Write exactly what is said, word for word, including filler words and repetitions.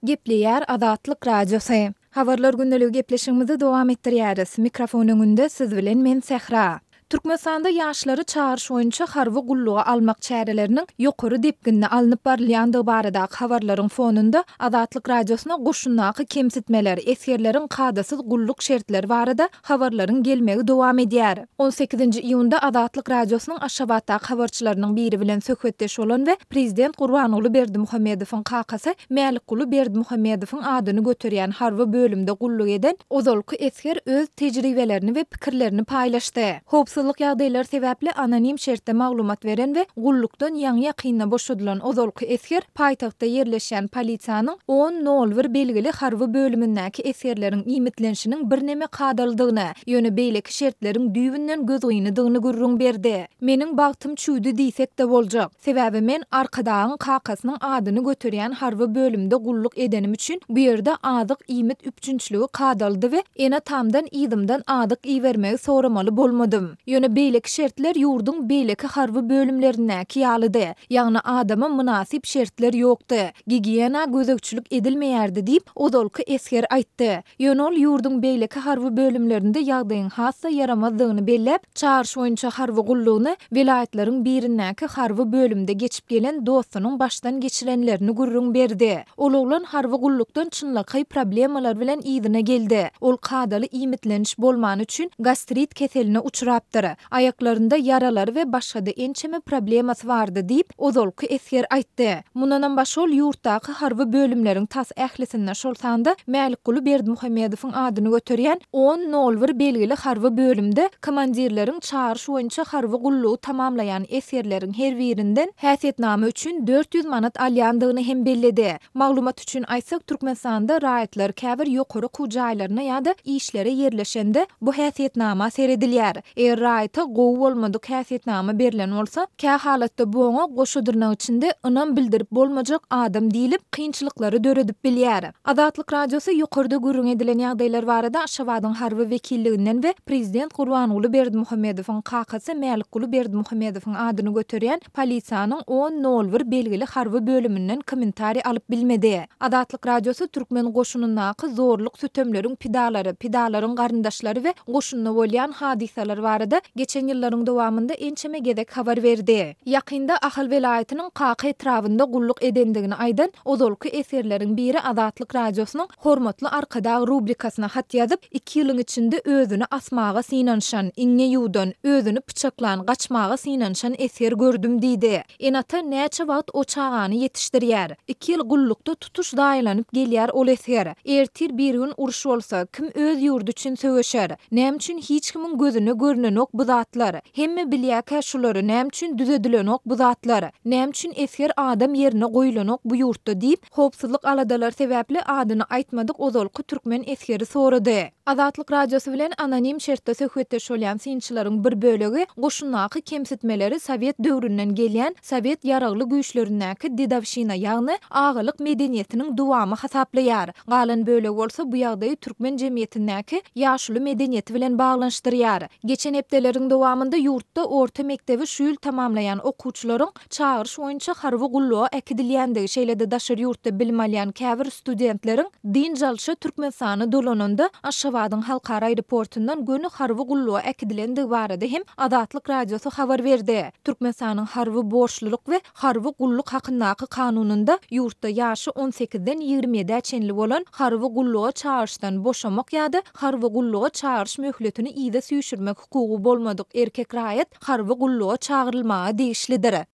Gepleýär Azatlyk Radiosy. Habarlar gündeligi gepleşigimizi dowam etdirýäris. Mikrofon öňünde siz bilen men Sähra. Türkmenistanda ýaşlary çagyryş boýunça harby gulluga almak çäreleriniň ýokary depginde alnyp barylýandygy baradaky habarlaryň fonunda Azatlyk Radiosyna goşundaky kemsitmeler, esgerleriň kadasyz gulluk şertleri barada habarlaryň gelmegi dowam edýär. On sekizinji iýunda Azatlyk Radiosynyň Aşgabatdaky habarçylarynyň biri bilen söhbetdeş bolan we prezident Gurbanguly Berdimuhamedowyň kakasy Mälikguly Berdimuhamedowyň adyny göterýän harby bölümde gulluk eden ozalky esger öz tejribelerini we pikirlerini paýlaşdy. Howpsuzlyk ýagdaýlary sebäpli anonim şertde maglumat beren we gullukdan ýaňy-ýakynda boşadylan ozalky esger paýtagtda ýerleşýän polisiýanyň on nol bir belgili harby bölümindäki esgerleriň iýmitlenişiniň birneme kadalydygyny, ýöne beýleki şertleriň düýbünden gözgynydygyny gürrüň berdi. Meniň bagtym çüwdi diýsek-de boljak. Sebäbi men Arkadagyň kakasynyň adyny göterýän harby bölümde gulluk edenim üçin bu ýerde azyk-iýmit üpjünçiligi kadalydy we ene-atamdan yzymdan azyk ibermegi soramaly bolmadym. Ýöne beýleki şertler ýurduň beýleki harby bölümlerindäki ýalydy. Ýagny adama mynasyp şertler ýokdy. Gigiýena gözegçilik edilmeýärdi diýip, ozalky esger aýtdy. Ýöne ol ýurduň beýleki harby bölümlerinde ýagdaýyň has-da ýaramazdygyny belläp, çagyryş boýunça harby gullugyny welaýatlaryň birindäki harby bölümde geçip gelen dostunyň başdan geçirenlerini gürrüň berdi. Ol oglan harby gullukdan çynlakaý problemalar bilen yzyna geldi. Ol kadaly iýmitleniş bolmany üçin gastrit keseline uçrapdyr. Aýaklarynda ýaralary we başga-da ençeme problemasy bardy diýip, ozalky esger aýtdy. Mundanam başga ol ýurtdaky harby bölümleriň tas ählisinde, şol sanda Mälikguly Berdimuhamedowyň adyny göterýän on nol bir belgili harby bölümde komandirleriň çagyryş boýunça harby gullugy tamamlaýan esgerleriň her birinden häsiýetnama üçin dört ýüz manat alýandygyny hem belledi. Maglumat üçin aýtsak, Türkmenistanda raýatlar käbir ýokary okuw jaýlaryna ýa-da işlere ýerleşende bu häsiýetnama seredilýär. Eger raýata gowy bolmadyk häsiýetnama berlen bolsa, kä halatda bu oňa goşa dyrnak içinde ynam bildirip bolmajak adam diýlip, kynçylyklary döredip bilýär. Azatlyk Radiosy ýokarda gürrüň edilen ýagdaýlar barada Aşgabadyň harby wekilliginden we prezident Gurbanguly Berdimuhamedowyň kakasy Mälikguly Berdimuhamedowyň adyny göterýän polisiýanyň on nol bir belgili harby bölüminden kommentariý alyp bilmedi. Azatlyk Radiosy türkmen goşunyndaky zorluk-sütemleriň pidalary, pidalaryň garyndaşlary we goşunda bolýan hadysalar barada geçen ýyllaryň dowamynda ençeme gezek habar berdi. Ýakynda Ahal welaýatynyň Kaka etrabynda gulluk edendigini aýdan ozalky esgerleriň biri Azatlyk Radiosynyň Hormatly Arkadag rubrikasyna hat ýazyp, iki ýylyň içinde özüni asmaga synanyşan, iňňe ýuwdan, özüni pyçaklan, gaçmaga synanyşan esger gördüm diýdi. Ene-ata näçe wagt o çagany ýetişdirýär? Iki ýyl gullukda tutuş zaýalanyp gelýär ol esger. Ertir bir gün uruş bolsa, kim öz ýurdy üçin söweşer? Näme üçin hiç kimiň gözüne görnenok bu zatlar? Hemme bilýärkä şulary, näme üçin düzedilenok bu zatlar? Näme üçin esger adam ýerine goýulanok bu ýurtda diýip, howpsuzlyk aladalary sebäpli adyny aýtmadyk ozalky türkmen esgeri sorady. Azatlyk Radiosy bilen anonim şertde söhbetdeş bolýan synçylaryň bir bölegi goşundaky kemsitmeleri sowet döwründen gelýän sowet ýaragly güýçlerindäki dedowşina, ýagny agalyk medeniýetiniň dowamy hasaplaýar. Galan bölegi bolsa bu ýagdaýy türkmen jemgyýetindäki ýaşuly medeniýeti bilen baglanyşdyrýar. Geçen hepdeleriň dowamynda ýurtda orta mekdebi şu ýyl tamamlaýan okuwçylaryň çagyryş boýunça harby gulluga äkidilýändigi, şeýle-de daşary ýurtda bilim alýan käbir studentleriň dynç alşa Türkmenistana dolananda Aşgabadyň halkara aeroportundan göni harby gulluga äkidilendigi barada hem Azatlyk Radiosy habar berdi. Türkmenistanyň harby borçlulyk we harby gulluk hakyndaky kanunynda ýurtda ýaşy on sekizden ýigrimi ýedä çenli bolan harby gulluga çagyryşdan boşamak ýa-da harby gulluga çagyryş möhletini yza süýşürmek hukugy bolmadyk erkek raýat harby gulluga çagyrylmaga degişlidir.